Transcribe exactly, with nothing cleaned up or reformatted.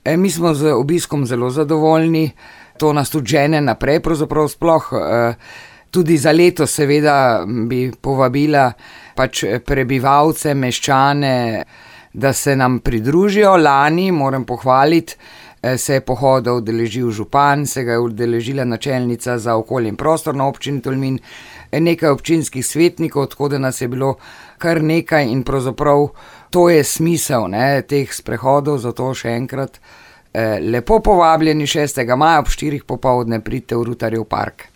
E, mi smo z obiskom zelo zadovoljni, to nas tudi žene naprej, pravzaprav sploh e, tudi za letos seveda bi povabila pač prebivalce, meščane, da se nam pridružijo. Lani, moram pohvaliti, se je pohoda udeležil župan, se ga je udeležila načelnica za okolje in prostor na občini Tolmin, nekaj občinskih svetnikov, tako da nas je bilo kar nekaj in pravzaprav to je smisel, ne, teh sprehodov, zato še enkrat eh, lepo povabljeni šestega maja ob štirih popoldne pridite v Rutarjev park.